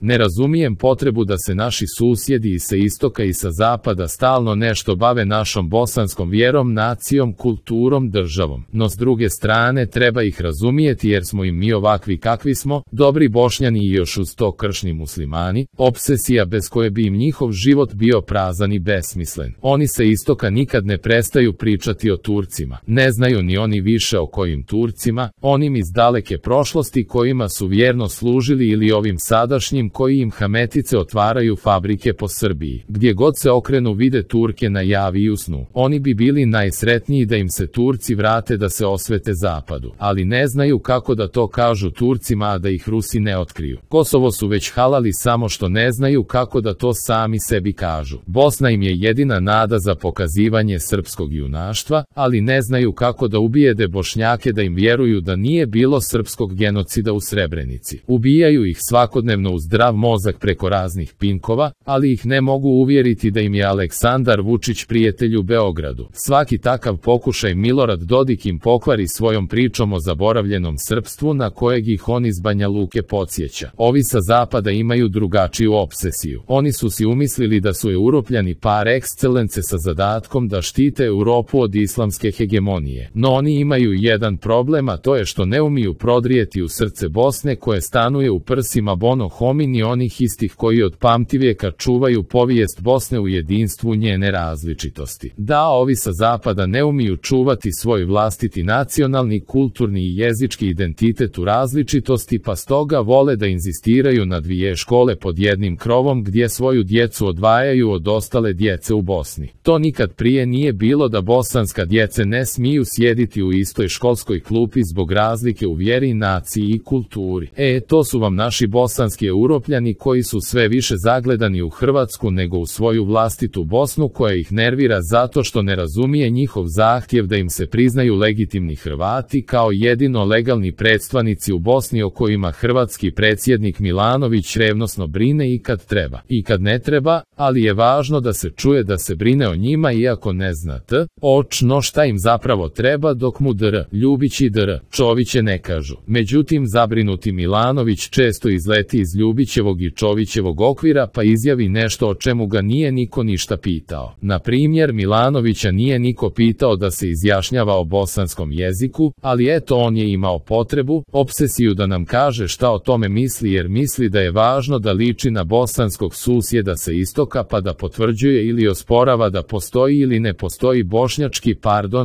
Ne razumijem potrebu da se naši susjedi i sa istoka i sa zapada stalno nešto bave našom bosanskom vjerom, nacijom, kulturom, državom. No s druge strane treba ih razumijeti jer smo im mi ovakvi kakvi smo, dobri Bošnjani i još uz to kršni muslimani, obsesija bez koje bi im njihov život bio prazan i besmislen. Oni sa istoka nikad ne prestaju pričati o Turcima. Ne znaju ni oni više o kojim Turcima, onim iz daleke prošlosti kojima su vjerno služili ili ovim sadašnjim koji im hametice otvaraju fabrike po Srbiji. Gdje god se okrenu vide Turke na javi i u snu. Oni bi bili najsretniji da im se Turci vrate da se osvete zapadu, ali ne znaju kako da to kažu Turcima a da ih Rusi ne otkriju. Kosovo su već halali samo što ne znaju kako da to sami sebi kažu. Bosna im je jedina nada za pokazivanje srpskog junaštva, ali ne znaju kako da ubijede Bošnjake da im vjeruju da nije bilo srpskog genocida u Srebrenici. Ubijaju ih svakodnevno u zdrav mozak preko raznih pinkova, ali ih ne mogu uvjeriti da im je Aleksandar Vučić prijatelj u Beogradu. Svaki takav pokušaj Milorad Dodik im pokvari svojom pričom o zaboravljenom srpstvu na kojeg ih on iz Banja Luke podsjeća. Ovi sa zapada imaju drugačiju obsesiju. Oni su si umislili da su Europljani par excellence sa zadatkom da štite Europu od islamske hegemonije. No oni imaju jedan problem, a to je što ne umiju prodrijeti u srce Bosne koje stanuje u prsima bono homini onih istih koji od pamtivijeka čuvaju povijest Bosne u jedinstvu njene različitosti. Da, ovi sa zapada ne umiju čuvati svoj vlastiti nacionalni, kulturni i jezički identitet u različitosti, pa stoga vole da inzistiraju na dvije škole pod jednim krovom gdje svoju djecu odvajaju od ostale djece u Bosni. To nikad prije nije bilo da bosanska djece ne smiju sjediti u istoj školskoj klupi zbog razlike u vjeri, naciji i kulturi. To su vam naši bosanski Europljani koji su sve više zagledani u Hrvatsku nego u svoju vlastitu Bosnu koja ih nervira zato što ne razumije njihov zahtjev da im se priznaju legitimni Hrvati kao jedino legalni predstavnici u Bosni o kojima hrvatski predsjednik Milanović revnosno brine i kad treba. I kad ne treba, ali je važno da se čuje da se brine o njima iako ne zna očno šta im zapravo treba dok mu Ljubić i Čoviće ne kažu. Međutim, zabrinuti Milanović često izleti iz Ljubićevog i Čovićevog okvira pa izjavi nešto o čemu ga nije niko ništa pitao. Na primjer, Milanovića nije niko pitao da se izjašnjava o bosanskom jeziku, ali eto on je imao potrebu, obsesiju da nam kaže šta o tome misli jer misli da je važno da liči na bosanskog susjeda sa istoka pa da potvrđuje ili osporava da postoji ili ne postoji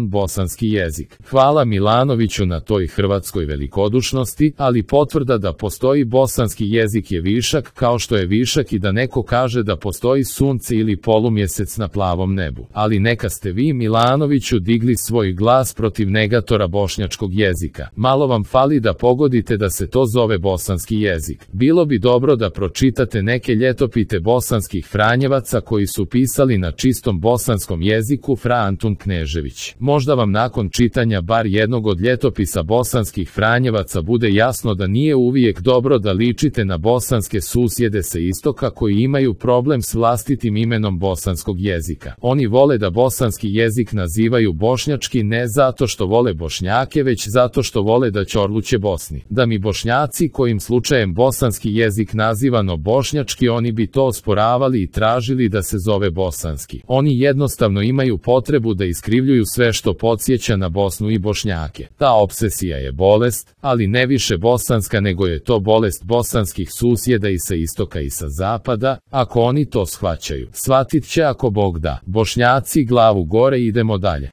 bosanski jezik. Hvala Milanoviću na toj hrvatskoj velikodušnosti, ali potvrda da postoji bosanski jezik je višak kao što je višak i da neko kaže da postoji sunce ili polumjesec na plavom nebu. Ali neka ste vi Milanoviću digli svoj glas protiv negatora bošnjačkog jezika. Malo vam fali da pogodite da se to zove bosanski jezik. Bilo bi dobro da pročitate neke ljetopite bosanskih Franjevaca koji su pisali na čistom bosanskom jeziku Fra Antun Knežević. Možda vam nakon čitanja bar jednog od ljetopisa bosanskih Franjevaca bude jasno da nije uvijek dobro da ličite na bosanske susjede sa istoka koji imaju problem s vlastitim imenom bosanskog jezika. Oni vole da bosanski jezik nazivaju bošnjački ne zato što vole Bošnjake već zato što vole da ćorluće Bosni. Da mi Bošnjaci kojim slučajem bosanski jezik nazivano bošnjački oni bi to osporavali i tražili da se zove bosanski. Oni jednostavno imaju potrebu da iskrivljuju sve što podsjeća na Bosnu i Bošnjake. Ta obsesija je bolest, ali ne više bosanska nego je to bolest bosanskih susjeda i sa istoka i sa zapada, ako oni to shvaćaju. Shvatit će ako Bog da. Bošnjaci glavu gore, idemo dalje.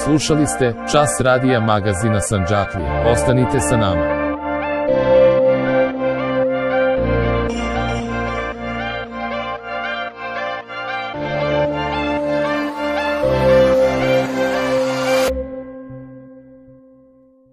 Slušali ste Čas radija magazina Sandžaklija. Ostanite sa nama.